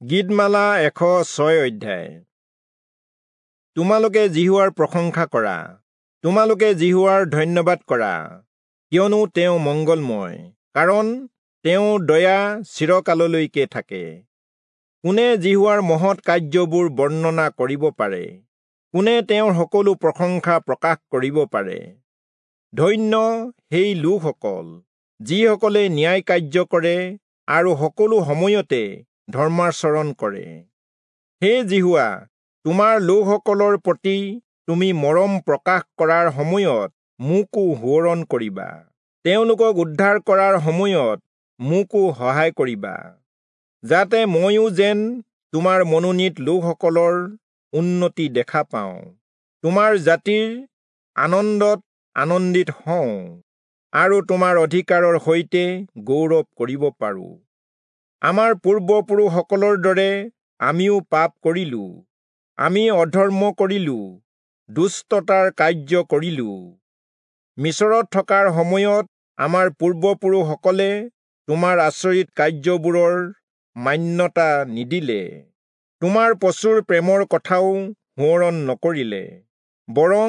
গীতমালা 106 অধ্যায়। তোমালোকে যিহোৱাৰ প্ৰশংসা কৰা, তোমালোকে যিহোৱাৰ ধন্যবাদ কৰা, কিয়নো তেওঁ মংগলময়, কাৰণ তেওঁৰ দয়া চিৰকাললৈকে থাকে। কোনে যিহোৱাৰ মহৎ কাৰ্যবোৰ বৰ্ণনা কৰিব পাৰে? কোনে তেওঁৰ সকলো প্ৰশংসা প্ৰকাশ কৰিব পাৰে? ধন্য সেই লোকসকল যিসকলে ন্যায় কাৰ্য কৰে আৰু সকলো সময়তে ধৰ্মাচৰণ কৰে। হে যিহোৱা, তোমাৰ লোকসকলৰ প্ৰতি তুমি মৰম প্ৰকাশ কৰাৰ সময়ত মোকো সোঁৱৰণ কৰিবা, তেওঁলোকক উদ্ধাৰ কৰাৰ সময়ত মোকো সহায় কৰিবা, যাতে ময়ো যেন তোমাৰ মনোনীত লোকসকলৰ উন্নতি দেখা পাওঁ, তোমাৰ জাতিৰ আনন্দত আনন্দিত হওঁ আৰু তোমাৰ অধিকাৰৰ সৈতে গৌৰৱ কৰিব পাৰোঁ। আমাৰ পূৰ্বপুৰুষসকলৰ দৰে আমিও পাপ কৰিলোঁ, আমি অধৰ্ম কৰিলোঁ, দুষ্টতাৰ কাৰ্য কৰিলোঁ। মিছৰত থকাৰ সময়ত আমাৰ পূৰ্বপুৰুষসকলে তোমাৰ আচৰিত কাৰ্যবোৰৰ মান্যতা নিদিলে, তোমাৰ প্ৰচুৰ প্ৰেমৰ কথাও সোঁৱৰণ নকৰিলে, বৰং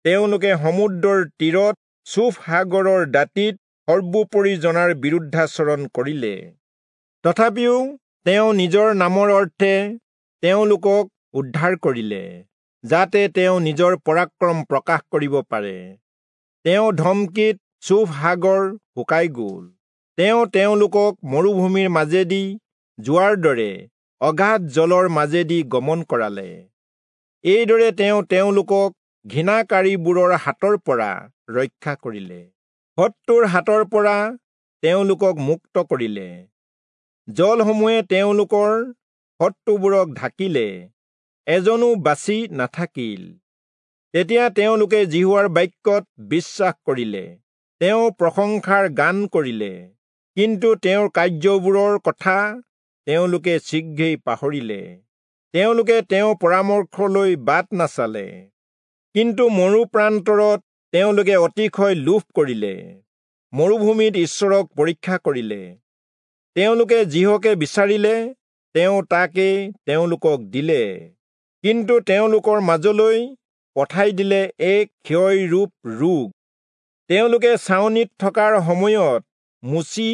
তেওঁলোকে সমুদ্ৰৰ তীৰত চুফ সাগৰৰ দাঁতিত সৰ্বোপৰি জনাৰ বিৰুদ্ধাচৰণ কৰিলে। তথাপিও তেওঁ নিজৰ নামৰ অৰ্থে তেওঁলোকক উদ্ধাৰ কৰিলে, যাতে তেওঁ নিজৰ পৰাক্ৰম প্ৰকাশ কৰিব পাৰে। তেওঁ ধমকিত চুফ সাগৰ শুকাই গ'ল। তেওঁ তেওঁলোকক মৰুভূমিৰ মাজেদি যোৱাৰ দৰে অগাধ জলৰ মাজেদি গমন কৰালে। এইদৰে তেওঁ তেওঁলোকক ঘৃণাকাৰীবোৰৰ হাতৰ পৰা ৰক্ষা কৰিলে, শত্ৰুৰ হাতৰ পৰা তেওঁলোকক মুক্ত কৰিলে। জলসমূহে তেওঁলোকৰ শত্ৰুবোৰক ঢাকিলে, এজনো বাচি নাথাকিল। তেতিয়া তেওঁলোকে যিহোৱাৰ বাক্যত বিশ্বাস কৰিলে, তেওঁ প্ৰশংসাৰ গান কৰিলে। কিন্তু তেওঁৰ কাৰ্যবোৰৰ কথা তেওঁলোকে শীঘ্ৰেই পাহৰিলে, তেওঁলোকে তেওঁৰ পৰামৰ্শলৈ বাট নাচালে। কিন্তু মৰু প্ৰান্তৰত তেওঁলোকে অতিশয় লোভ কৰিলে, মৰুভূমিত ঈশ্বৰক পৰীক্ষা কৰিলে। তেওঁলোকে যিহকে বিচাৰিলে তেওঁ তাকে তেওঁলোকক দিলে, কিন্তু তেওঁলোকৰ মাজলৈ পঠাই দিলে এক ক্ষয়ৰূপ ৰোগ। তেওঁলোকে ছাউনিত থকাৰ সময়ত মোচি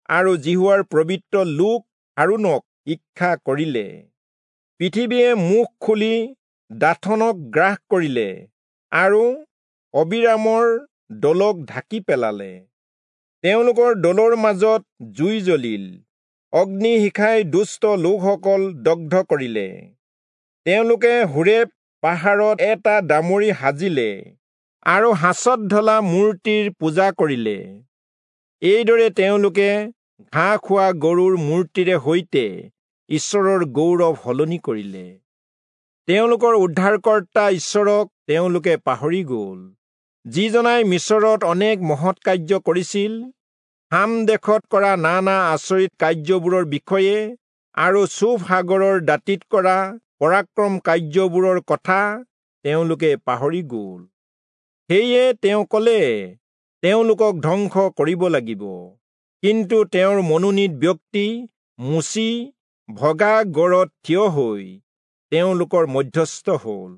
আৰু যিহোৱাৰ পবিত্ৰ লোক হাৰোণক ঈক্ষা কৰিলে। পৃথিৱীয়ে মুখ খুলি দাথনক গ্ৰাস কৰিলে আৰু অবিৰামৰ দলক ঢাকি পেলালে। তেওঁলোকৰ দলৰ মাজত জুই জ্বলিল, অগ্নিশিখাই দুষ্ট লোকসকল দগ্ধ কৰিলে। তেওঁলোকে হোৰেব পাহাৰত এটা দামৰি সাজিলে আৰু সাঁচত ঢলা মূৰ্তিৰ পূজা কৰিলে। এইদৰে তেওঁলোকে ঘাঁহ খোৱা গৰুৰ মূৰ্তিৰে সৈতে ঈশ্বৰৰ গৌৰৱ সলনি কৰিলে। তেওঁলোকৰ উদ্ধাৰকৰ্তা ঈশ্বৰক তেওঁলোকে পাহৰি গ'ল, যিজনাই মিছৰত অনেক মহৎ কাৰ্য কৰিছিল, হাম দেশত কৰা নানা আচৰিত কাৰ্যবোৰৰ বিষয়ে আৰু চুফ সাগৰৰ দাঁতিত কৰা পৰাক্ৰম কাৰ্যবোৰৰ কথা তেওঁলোকে পাহৰি গ'ল। সেয়ে তেওঁ ক'লে, তেওঁলোকক ধ্বংস কৰিব লাগিব। কিন্তু তেওঁৰ মনোনীত ব্যক্তি মোচি ভগা গড়ত থিয় হৈ তেওঁলোকৰ মধ্যস্থ হ'ল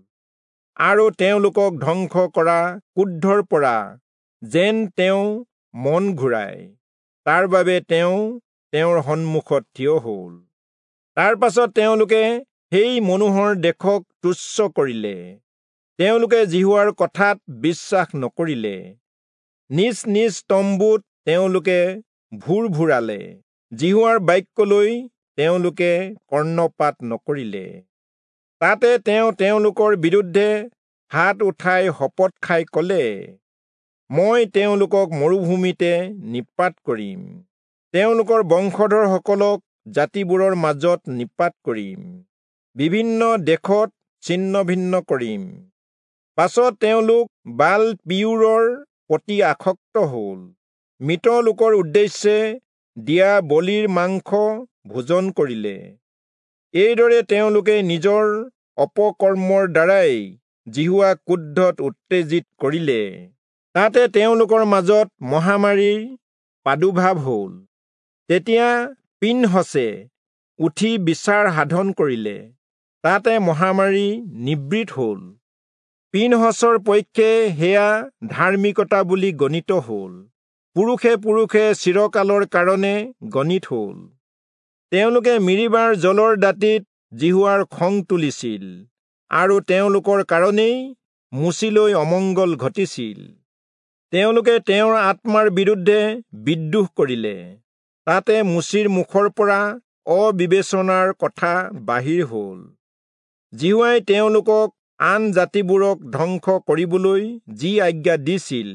আৰু তেওঁলোকক ধ্বংস কৰা ক্ৰোধৰ পৰা যেন তেওঁ মন ঘূৰায়, তাৰ বাবে তেওঁ তেওঁৰ সন্মুখত থিয় হ'ল। তাৰ পাছত তেওঁলোকে সেই মনোহৰ দেশক তুচ্ছ কৰিলে, তেওঁলোকে যিহোৱাৰ কথাত বিশ্বাস নকৰিলে। নিজ নিজ তম্বুত তেওঁলোকে ভোৰ ভোৰালে, যিহোৱাৰ বাক্যলৈ তেওঁলোকে কৰ্ণপাত নকৰিলে। তাতে তেওঁ তেওঁলোকৰ বিৰুদ্ধে হাত উঠাই শপত খাই ক'লে, মই তেওঁলোকক মৰুভূমিতে নিপাত কৰিম, তেওঁলোকৰ বংশধৰসকলক জাতিবোৰৰ মাজত নিপাত কৰিম, বিভিন্ন দেশত ছিন্ন ভিন্ন কৰিম। পাছত তেওঁলোক বাল পিয়ূৰৰ প্ৰতি আসক্ত হ'ল, মৃত লোকৰ উদ্দেশ্যে দিয়া বলিৰ মাংস ভোজন কৰিলে। এইদৰে তেওঁলোকে নিজৰ অপকৰ্মৰ দ্বাৰাই যিহোৱাক ক্ৰোধত উত্তেজিত কৰিলে। তাতে তেওঁলোকৰ মাজত মহামাৰীৰ প্ৰাদুৰ্ভাৱ হ'ল। তেতিয়া পিনহচে উঠি বিচাৰ সাধন কৰিলে, তাতে মহামাৰী নিবৃত হ'ল। পীনহচৰ পক্ষে সেয়া ধাৰ্মিকতা বুলি গণিত হ'ল, পুৰুষে পুৰুষে চিৰকালৰ কাৰণে গণিত হ'ল। তেওঁলোকে মিৰিবাৰ জলৰ দাঁতিত যিহোৱাৰ খং তুলিছিল, আৰু তেওঁলোকৰ কাৰণেই মোচিলৈ অমংগল ঘটিছিল। তেওঁলোকে তেওঁৰ আত্মাৰ বিৰুদ্ধে বিদ্ৰোহ কৰিলে, তাতে মোচিৰ মুখৰ পৰা অবিবেচনাৰ কথা বাহিৰ হ'ল। যিহোৱাই তেওঁলোকক আন জাতিবোৰক ধ্বংস কৰিবলৈ যি আজ্ঞা দিছিল,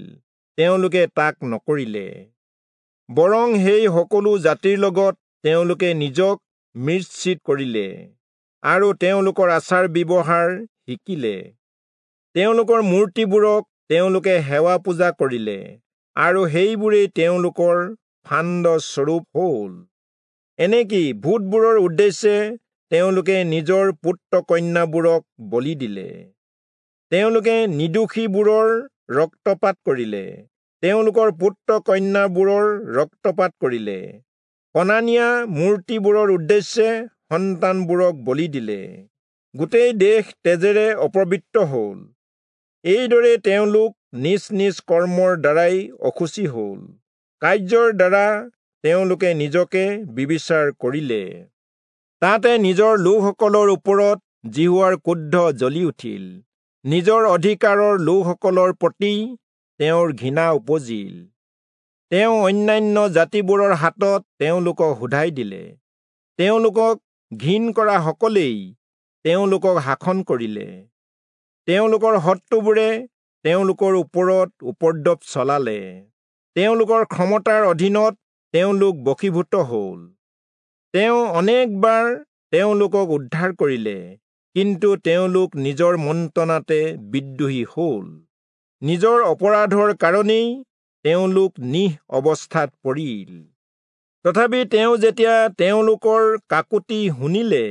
তেওঁলোকে তাক নকৰিলে, বৰং সেই সকলো জাতিৰ লগত তেওঁলোকে নিজক মিশ্ৰিত কৰিলে আৰু তেওঁলোকৰ আচাৰ ব্যৱহাৰ শিকিলে। তেওঁলোকৰ মূৰ্তিবোৰক তেওঁলোকে সেৱা পূজা কৰিলে, আৰু সেইবোৰেই তেওঁলোকৰ ফান্দ স্বৰূপ হ'ল। এনেকি ভূতবোৰৰ উদ্দেশ্যে তেওঁলোকে নিজৰ পুত্ৰ কন্যাবোৰক বলি দিলে। তেওঁলোকে নিৰ্দোষীবোৰৰ ৰক্তপাত কৰিলে, তেওঁলোকৰ পুত্ৰ কন্যাবোৰৰ ৰক্তপাত কৰিলে, কনানীয়া মূৰ্তিবোৰৰ উদ্দেশ্যে সন্তানবোৰক বলি দিলে। গোটেই দেশ তেজেৰে অপবিত্ৰ হ'ল। এইদৰে তেওঁলোক নিজ নিজ কৰ্মৰ দ্বাৰাই অশুচি হ'ল, কাৰ্যৰ দ্বাৰা তেওঁলোকে নিজকে বিবিচাৰ কৰিলে। তাতে নিজৰ লোকসকলৰ ওপৰত যিহোৱাৰ ক্ৰোধ জ্বলি উঠিল, নিজৰ অধিকাৰৰ লোকসকলৰ প্ৰতি তেওঁৰ ঘৃণা উপজিল। তেওঁ অন্যান্য জাতিবোৰৰ হাতত তেওঁলোকক সোধাই দিলে, তেওঁলোকক ঘিণ কৰা সকলেই তেওঁলোকক শাসন কৰিলে। তেওঁলোকৰ শত্ৰুবোৰে তেওঁলোকৰ ওপৰত উপদ্ৰৱ চলালে, তেওঁলোকৰ ক্ষমতাৰ অধীনত তেওঁলোক বশীভূত হ'ল। তেওঁ অনেকবাৰ তেওঁলোকক উদ্ধাৰ কৰিলে, কিন্তু তেওঁলোক নিজৰ মন্ত্ৰণাতে বিদ্ৰোহী হ'ল। নিজৰ অপৰাধৰ কাৰণেই তেওঁলোক নিঃ অৱস্থাত পৰিল। তথাপি তেওঁ যেতিয়া তেওঁলোকৰ কাকুতি শুনিলে,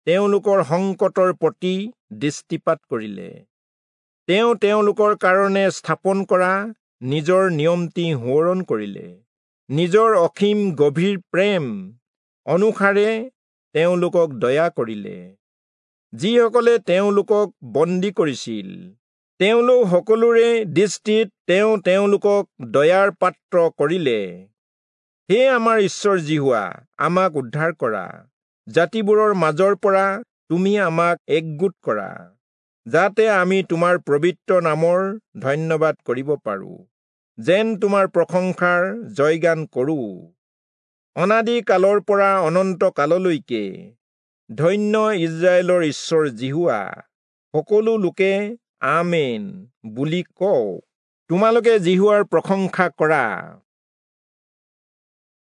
তেওঁলোকৰ সংকটৰ প্ৰতি দৃষ্টিপাত কৰিলে। তেওঁ তেওঁলোকৰ কাৰণে স্থাপন কৰা নিজৰ নিয়মটি সোঁৱৰণ কৰিলে, নিজৰ অসীম গভীৰ প্ৰেম অনুসাৰে তেওঁলোকক দয়া কৰিলে। যিসকলে তেওঁলোকক বন্দী কৰিছিল, তেওঁলোক সকলোৰে দৃষ্টিত তেওঁ তেওঁলোকক দয়াৰ পাত্ৰ কৰিলে। হে আমাৰ ঈশ্বৰ যিহোৱা, আমাক উদ্ধাৰ কৰা, জাতিবোৰৰ মাজৰ পৰা তুমি আমাক একগোট কৰা, যাতে আমি তোমাৰ পবিত্ৰ নামৰ ধন্যবাদ কৰিব পাৰোঁ, যেন তোমাৰ প্ৰশংসাৰ জয়গান কৰোঁ। অনাদি কালৰ পৰা অনন্ত কাললৈকে ধন্য ইস্ৰায়েলৰ ঈশ্বৰ যিহোৱা। সকলো লোকে আমেন বুলি কওক। তোমালোকে যিহোৱাৰ প্ৰশংসা কৰা।